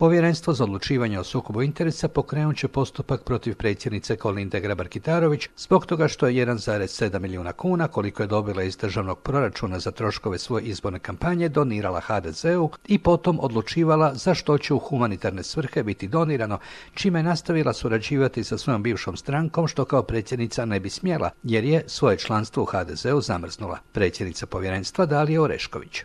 Povjerenstvo za odlučivanje o sukobu interesa pokrenut će postupak protiv predsjednice Kolinde Grabar-Kitarović zbog toga što je 1,7 milijuna kuna, koliko je dobila iz državnog proračuna za troškove svoje izborne kampanje, donirala HDZ-u i potom odlučivala za što će u humanitarne svrhe biti donirano, čime je nastavila surađivati sa svojom bivšom strankom, što kao predsjednica ne bi smjela, jer je svoje članstvo u HDZ-u zamrznula. Predsjednica povjerenstva Dalija Orešković.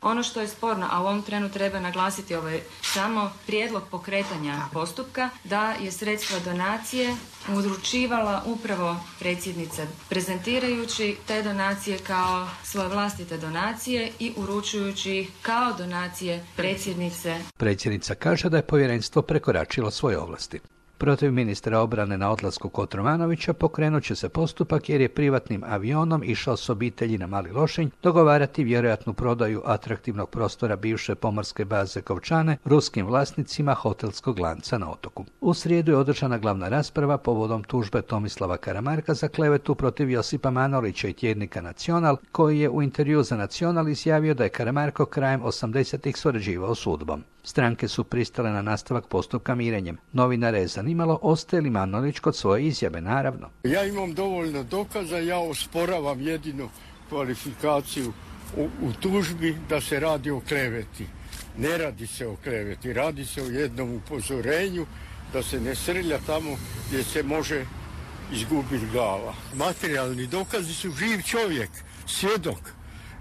Ono što je sporno, a u ovom trenu treba naglasiti samo prijedlog pokretanja postupka, da je sredstva donacije uručivala upravo predsjednica, prezentirajući te donacije kao svoje vlastite donacije i uručujući ih kao donacije predsjednice. Predsjednica kaže da je povjerenstvo prekoračilo svoje ovlasti. Protiv ministra obrane na odlasku Kotromanovića pokrenut će se postupak jer je privatnim avionom išao s obitelji na Mali Lošinj dogovarati vjerojatnu prodaju atraktivnog prostora bivše pomorske baze Kovčane ruskim vlasnicima hotelskog lanca na otoku. U srijedu je održana glavna rasprava povodom tužbe Tomislava Karamarka za klevetu protiv Josipa Manolića i tjednika Nacional, koji je u intervju za Nacional izjavio da je Karamarko krajem 80-ih surađivao s UDBom. Stranke su pristale na nastavak postupka mirenjem. Novinare je zanimalo ostaje li Manolić kod svoje izjave, naravno. Ja imam dovoljno dokaza, ja osporavam jedinu kvalifikaciju u tužbi da se radi o kleveti. Ne radi se o kleveti, radi se o jednom upozorenju da se ne srlja tamo gdje se može izgubiti glava. Materijalni dokazi su živ čovjek, svjedok,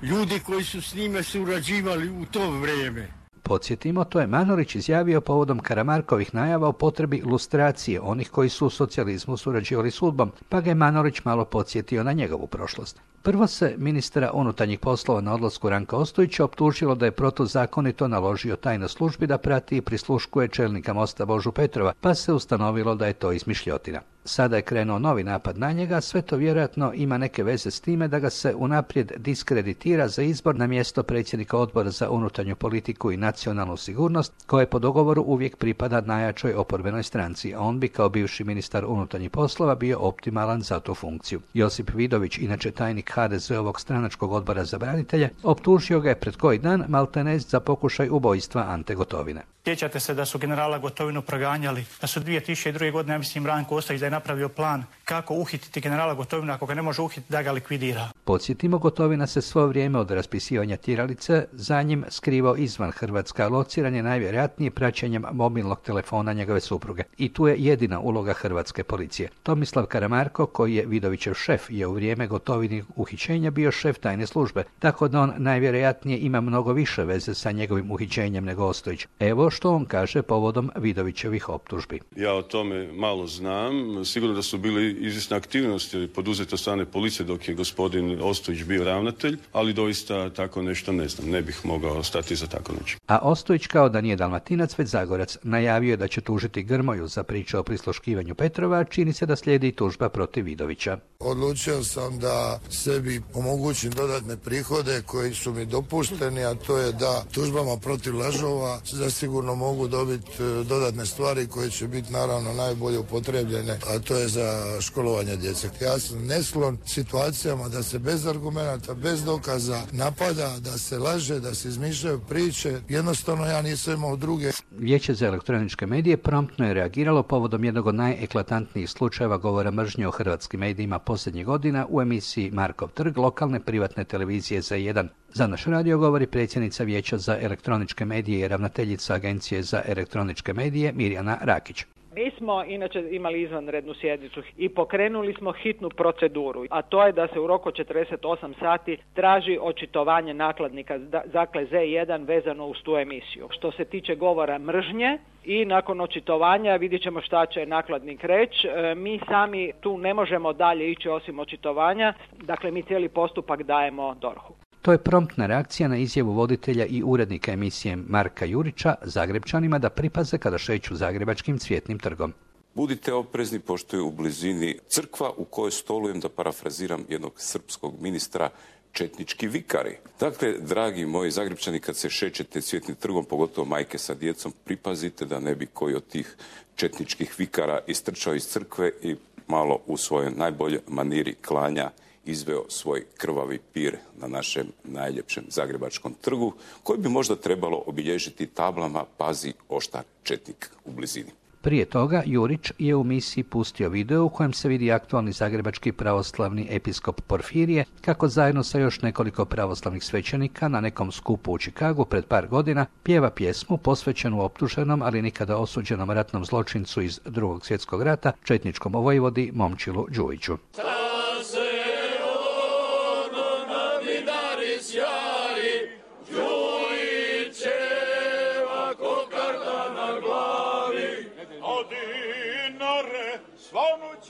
ljudi koji su s njime surađivali u to vrijeme. Podsjetimo, to je Manolić izjavio povodom Karamarkovih najava o potrebi lustracije onih koji su u socijalizmu surađivali s UDBom, pa ga je Manolić malo podsjetio na njegovu prošlost. Prvo se ministra unutarnjih poslova na odlasku Ranka Ostojića optužilo da je protuzakonito naložio tajnoj službi da prati i prisluškuje čelnika Mosta Božu Petrova, pa se ustanovilo da je to izmišljotina. Sada je krenuo novi napad na njega, sve to vjerojatno ima neke veze s time da ga se unaprijed diskreditira za izbor na mjesto predsjednika Odbora za unutarnju politiku i nacionalnu sigurnost, koje po dogovoru uvijek pripada najjačoj oporbenoj stranci, a on bi kao bivši ministar unutarnjih poslova bio optimalan za tu funkciju. Josip Vidović, inače tajnik HDZ-ovog stranačkog odbora za branitelje, optužio ga je pred koji dan maltene za pokušaj ubojstva Ante Gotovine. Sjećate se da su generala Gotovinu proganjali, da su 2002. godine, ja mislim, Ranko Ostojić da je napravio plan kako uhititi generala Gotovina, ako ga ne može uhititi, da ga likvidira. Podsjetimo, Gotovina se svo vrijeme od raspisivanja tjeralice za njim skrivao izvan Hrvatska, lociran je najvjerojatnije praćenjem mobilnog telefona njegove supruge. I tu je jedina uloga hrvatske policije. Tomislav Karamarko, koji je Vidovićev šef, je u vrijeme Gotovinih uhićenja bio šef tajne službe, tako da on najvjerojatnije ima mnogo više veze sa njegovim uhićenjem nego Ostojić. Evo što on kaže povodom Vidovićevih optužbi. Ja o tome malo znam. Sigurno da su bili izvjesne aktivnosti poduzete od strane policije dok je gospodin Ostojić bio ravnatelj, ali doista tako nešto ne znam. Ne bih mogao stati za tako nešto. A Ostojić, kao da nije Dalmatinac već Zagorac, najavio je da će tužiti Grmoju za priču o prisluškivanju Petrova, čini se da slijedi tužba protiv Vidovića. Odlučio sam da sebi omogućim dodatne prihode koji su mi dopušteni, a to je da tužbama protiv lažova zasigurno mogu dobiti dodatne stvari koje će biti naravno najbolje upotrebljene, a to je za školovanje djece. Ja sam nesklon situacijama da se bez argumenata, bez dokaza napada, da se laže, da se izmišljaju priče. Jednostavno ja nisam imao druge. Vijeće za elektroničke medije promptno je reagiralo povodom jednog od najeklatantnijih slučajeva govora mržnje o hrvatskim medijima posljednjih godina u emisiji Markov trg lokalne privatne televizije Z1. Za naš radio govori predsjednica Vijeća za elektroničke medije i ravnateljica Agencije za elektroničke medije Mirjana Rakić. Mi smo inače imali izvanrednu sjednicu i pokrenuli smo hitnu proceduru, a to je da se u roku 48 sati traži očitovanje nakladnika, dakle Z1 vezano uz tu emisiju. Što se tiče govora mržnje i nakon očitovanja vidjet ćemo šta će nakladnik reći. Mi sami tu ne možemo dalje ići osim očitovanja, dakle mi cijeli postupak dajemo DORH-u. To je promptna reakcija na izjavu voditelja i urednika emisije Marka Jurića Zagrepčanima da pripaze kada šeću zagrebačkim Cvjetnim trgom. Budite oprezni pošto je u blizini crkva u kojoj stolujem, da parafraziram jednog srpskog ministra, četnički vikari. Dakle, dragi moji Zagrepčani, kad se šećete Cvjetnim trgom, pogotovo majke sa djecom, pripazite da ne bi koji od tih četničkih vikara istrčao iz crkve i malo u svojoj najboljoj maniri klanja izveo svoj krvavi pir na našem najljepšem zagrebačkom trgu, koji bi možda trebalo obilježiti tablama "Pazi, oštar četnik" u blizini. Prije toga, Jurić je u misiji pustio video u kojem se vidi aktualni zagrebački pravoslavni episkop Porfirije kako zajedno sa još nekoliko pravoslavnih svećenika na nekom skupu u Čikagu pred par godina pjeva pjesmu posvećenu optuženom, ali nikada osuđenom ratnom zločincu iz Drugog svjetskog rata, četničkom vojvodi Momčilu Đujiću.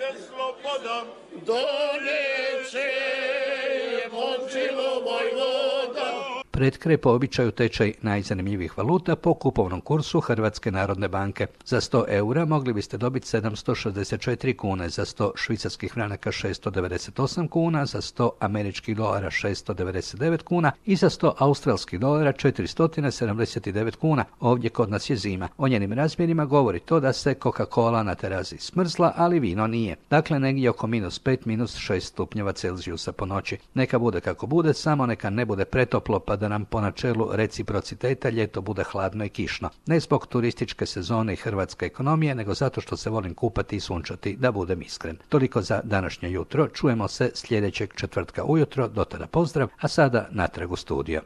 Slobodan doneće Momčilo vojvoda. Pred kraj po običaju tečaj najzanimljivijih valuta po kupovnom kursu Hrvatske narodne banke. Za 100 eura mogli biste dobiti 764 kune, za 100 švicarskih franaka 698 kuna, za 100 američkih dolara 699 kuna i za 100 australskih dolara 479 kuna. Ovdje kod nas je zima. O njenim razmjerima govori to da se Coca-Cola na terazi smrzla, ali vino nije. Dakle, negdje oko -5, -6 stupnjeva Celzijusa po noći. Neka bude kako bude, samo neka ne bude pretoplo pa da nam po načelu reciprociteta ljeto bude hladno i kišno. Ne zbog turističke sezone i hrvatske ekonomije, nego zato što se volim kupati i sunčati, da budem iskren. Toliko za današnje jutro. Čujemo se sljedećeg četvrtka ujutro. Do tada pozdrav, a sada natrag u studio.